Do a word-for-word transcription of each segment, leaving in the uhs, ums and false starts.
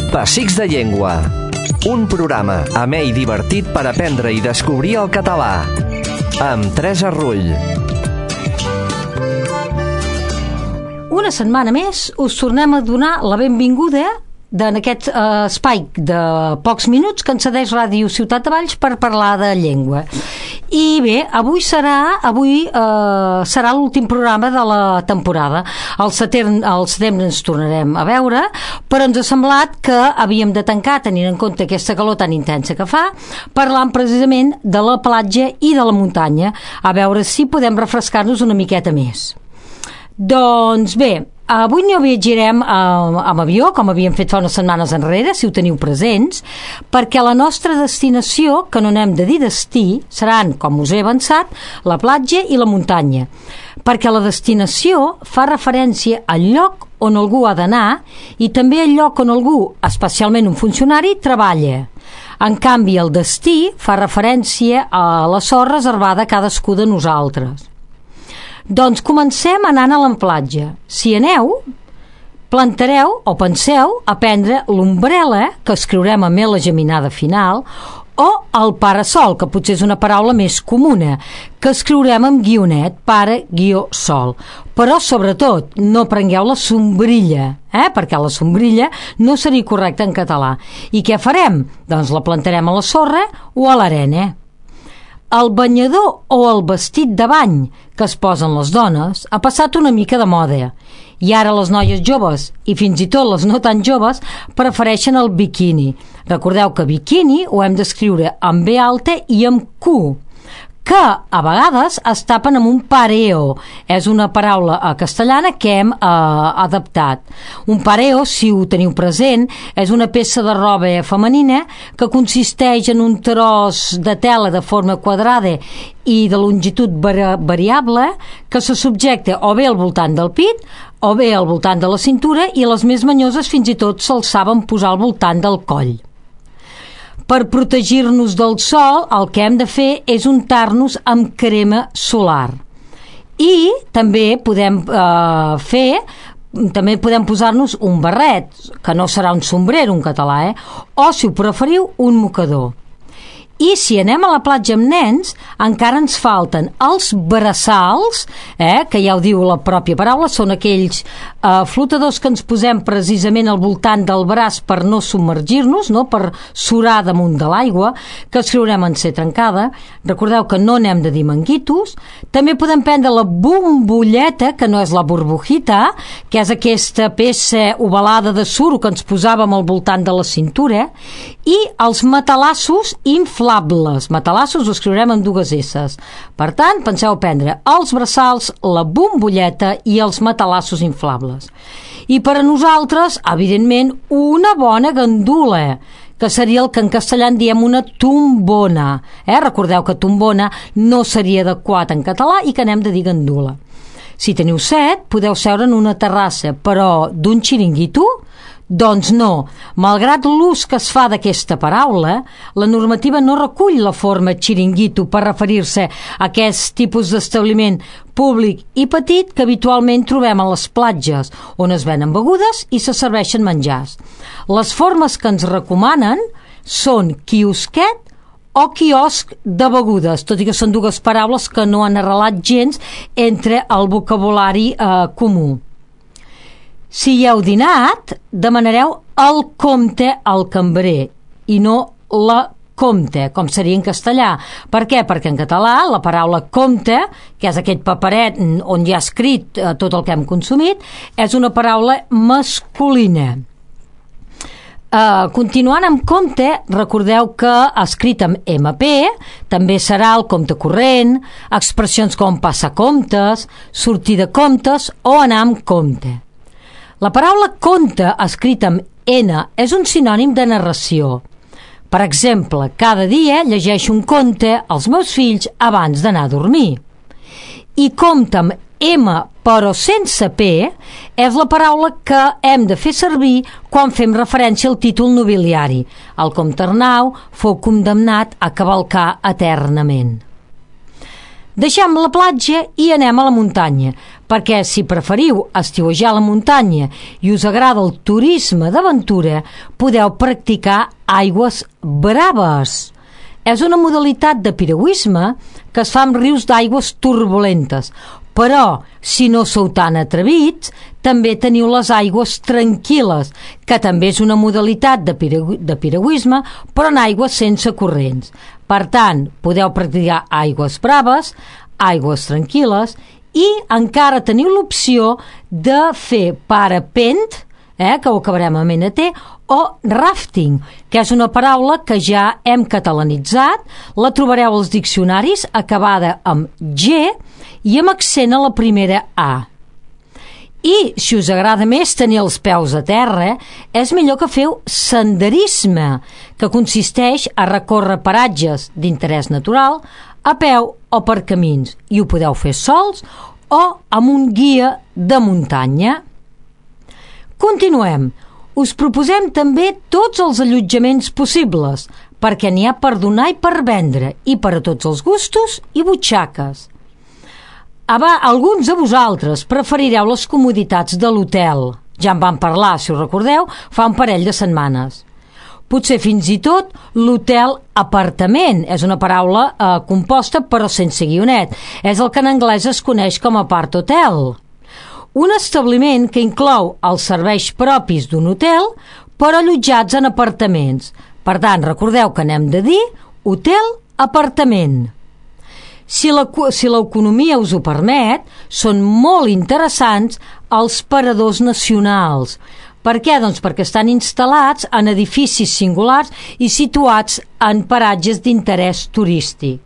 Pessics de Llengua. Un programa amè i divertit per aprendre i descobrir el català. Amb Teresa Rull. Una setmana més us tornem a donar la benvinguda en aquest eh, espai de pocs minuts que ens cedeix Ràdio Ciutat de Valls per parlar de llengua. I bé, avui serà avui eh, serà l'últim programa de la temporada. Al setembre, al setembre ens tornarem a veure, però ens ha semblat que havíem de tancar, tenint en compte aquesta calor tan intensa que fa, parlant precisament de la platja i de la muntanya, a veure si podem refrescar-nos una miqueta més. Doncs bé, avui no viatjarem eh, amb avió, com havíem fet fa unes setmanes enrere, si ho teniu presents, perquè la nostra destinació, que no n'hem de dir destí, seran, com us he avançat, la platja i la muntanya. Perquè la destinació fa referència al lloc on algú ha d'anar i també al lloc on algú, especialment un funcionari, treballa. En canvi, el destí fa referència a la sort reservada a cadascú de nosaltres. Doncs comencem anant a la platja. Si aneu, plantareu o penseu a prendre l'ombrella, que escriurem amb la geminada final, o el parasol, que potser és una paraula més comuna, que escriurem amb guionet, pare, guió, sol. Però, sobretot, no prengueu la sombrilla, eh? Perquè la sombrilla no seria correcta en català. I què farem? Doncs la plantarem a la sorra o a l'arena. El banyador o el vestit de bany que es posen les dones ha passat una mica de moda i ara les noies joves i fins i tot les no tan joves prefereixen el biquini. Recordeu que biquini ho hem d'escriure amb B alta i amb Q, que a vegades es tapen amb un pareo. És una paraula castellana que hem eh, adaptat. Un pareo, si ho teniu present, és una peça de roba femenina que consisteix en un tros de tela de forma quadrada i de longitud vari variable que se subjecta o bé al voltant del pit o bé al voltant de la cintura i les més manyoses fins i tot se'ls saben posar al voltant del coll. Per protegir-nos del sol, el que hem de fer és untar-nos amb crema solar. I també podem eh, fer, també podem posar-nos un barret, que no serà un sombrero en català, eh? O, si ho preferiu, un mocador. I si anem a la platja amb nens, encara ens falten els braçals, eh, que ja ho diu la pròpia paraula, són aquells eh, flotadors que ens posem precisament al voltant del braç per no submergir-nos, no? Per surar damunt de l'aigua, que escriurem en C trencada. Recordeu que no n'hem de dir manguitos. També podem prendre la bombolleta, que no és la burbujita, que és aquesta peça ovalada de suro que ens posàvem al voltant de la cintura, i els matalassos inflables. Matalassos ho escriurem amb dues esses. Per tant, penseu prendre els braçals, la bombolleta i els matalassos inflables. I per a nosaltres, evidentment, una bona gandula, que seria el que en castellà en diem una tombona. Eh? Recordeu que tombona no seria adequat en català i que n'hem de dir gandula. Si teniu set, podeu seure en una terrassa, però d'un xiringuito? Doncs no. Malgrat l'ús que es fa d'aquesta paraula, la normativa no recull la forma xiringuito per referir-se a aquest tipus d'establiment públic i petit que habitualment trobem a les platges, on es venen begudes i se serveixen menjars. Les formes que ens recomanen són quiosquet o quiosc de begudes, tot i que són dues paraules que no han arrelat gens entre el vocabulari eh, comú. Si hi heu dinat, demanareu el compte al cambrer i no la compte, com seria en castellà. Per què? Perquè en català la paraula compte, que és aquest paperet on hi ha escrit eh, tot el que hem consumit, és una paraula masculina. Uh, continuant amb compte, recordeu que escrit amb eme pe també serà el compte corrent, expressions com passar comptes, sortir de comptes o anar amb compte. La paraula conte, escrita amb ena, és un sinònim de narració. Per exemple, cada dia llegeixo un conte als meus fills abans d'anar a dormir. I compte amb M, però sense P, és la paraula que hem de fer servir quan fem referència al títol nobiliari. El comte Arnau fou condemnat a cavalcar eternament. Deixem la platja i anem a la muntanya, perquè si preferiu estiuejar a la muntanya i us agrada el turisme d'aventura, podeu practicar aigües braves. És una modalitat de piragüisme que es fa amb rius d'aigües turbulentes, però si no sou tan atrevits, també teniu les aigües tranquil·les, que també és una modalitat de, piragü de piragüisme, però en aigües sense corrents. Per tant, podeu practicar aigües braves, aigües tranquil·les, i encara teniu l'opció de fer parapent, eh, que ho acabarem amb ena te, o rafting, que és una paraula que ja hem catalanitzat, la trobareu als diccionaris acabada amb G i amb accent a la primera A. I si us agrada més tenir els peus a terra, és millor que feu senderisme, que consisteix a recórrer paratges d'interès natural a peu o per camins, i ho podeu fer sols o amb un guia de muntanya. Continuem. Us proposem també tots els allotjaments possibles, perquè n'hi ha per donar i per vendre, i per a tots els gustos i butxaques. Aba, alguns de vosaltres preferireu les comoditats de l'hotel. Ja en vam parlar, si us recordeu, fa un parell de setmanes. Potser fins i tot l'hotel apartament, és una paraula eh, composta però sense guionet. És el que en anglès es coneix com apart hotel. Un establiment que inclou els serveis propis d'un hotel, però allotjats en apartaments. Per tant, recordeu que n'hem de dir hotel-apartament. Si l'economia us ho permet, són molt interessants els paradors nacionals. Per què? Doncs perquè estan instal·lats en edificis singulars i situats en paratges d'interès turístic.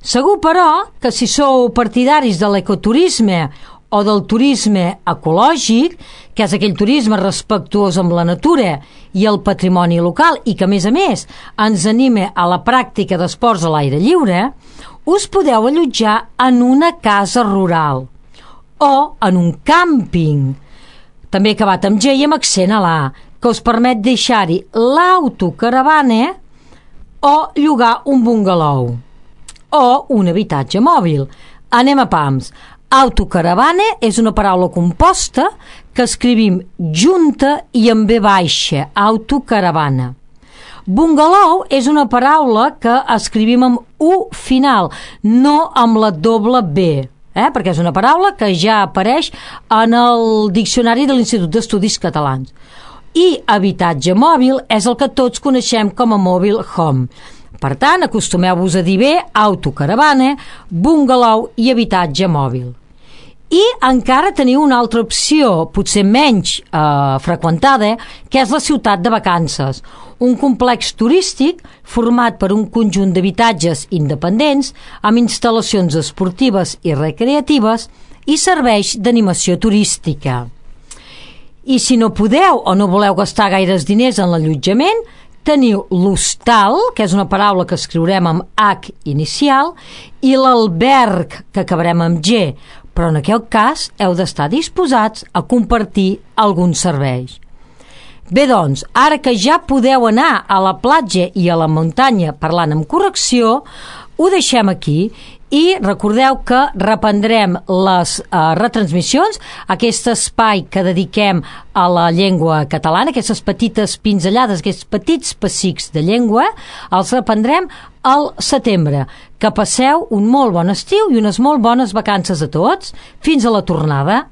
Segur, però, que si sou partidaris de l'ecoturisme o del turisme ecològic, que és aquell turisme respectuós amb la natura i el patrimoni local i que, a més a més, ens anima a la pràctica d'esports a l'aire lliure, us podeu allotjar en una casa rural o en un càmping, també acabat amb G i amb accent a l'A, que us permet deixar-hi l'autocaravana o llogar un bungalou o un habitatge mòbil. Anem a pams. Autocaravana és una paraula composta que escrivim junta i amb B baixa, autocaravana. Bungalou és una paraula que escrivim amb U final, no amb la doble B, eh? Perquè és una paraula que ja apareix en el diccionari de l'Institut d'Estudis Catalans. I habitatge mòbil és el que tots coneixem com a mobile home. Per tant, acostumeu-vos a dir bé autocaravana, bungalou i habitatge mòbil. I encara teniu una altra opció, potser menys eh, freqüentada, que és la ciutat de vacances, un complex turístic format per un conjunt d'habitatges independents amb instal·lacions esportives i recreatives i serveis d'animació turística. I si no podeu o no voleu gastar gaires diners en l'allotjament, teniu l'hostal, que és una paraula que escriurem amb H inicial, i l'alberg, que acabarem amb G, però en aquest cas heu d'estar disposats a compartir alguns serveis. Bé, doncs, ara que ja podeu anar a la platja i a la muntanya parlant amb correcció, ho deixem aquí i recordeu que reprendrem les eh, retransmissions, aquest espai que dediquem a la llengua catalana, aquestes petites pinzellades, aquests petits pessics de llengua, els reprendrem al setembre. Que passeu un molt bon estiu i unes molt bones vacances a tots. Fins a la tornada.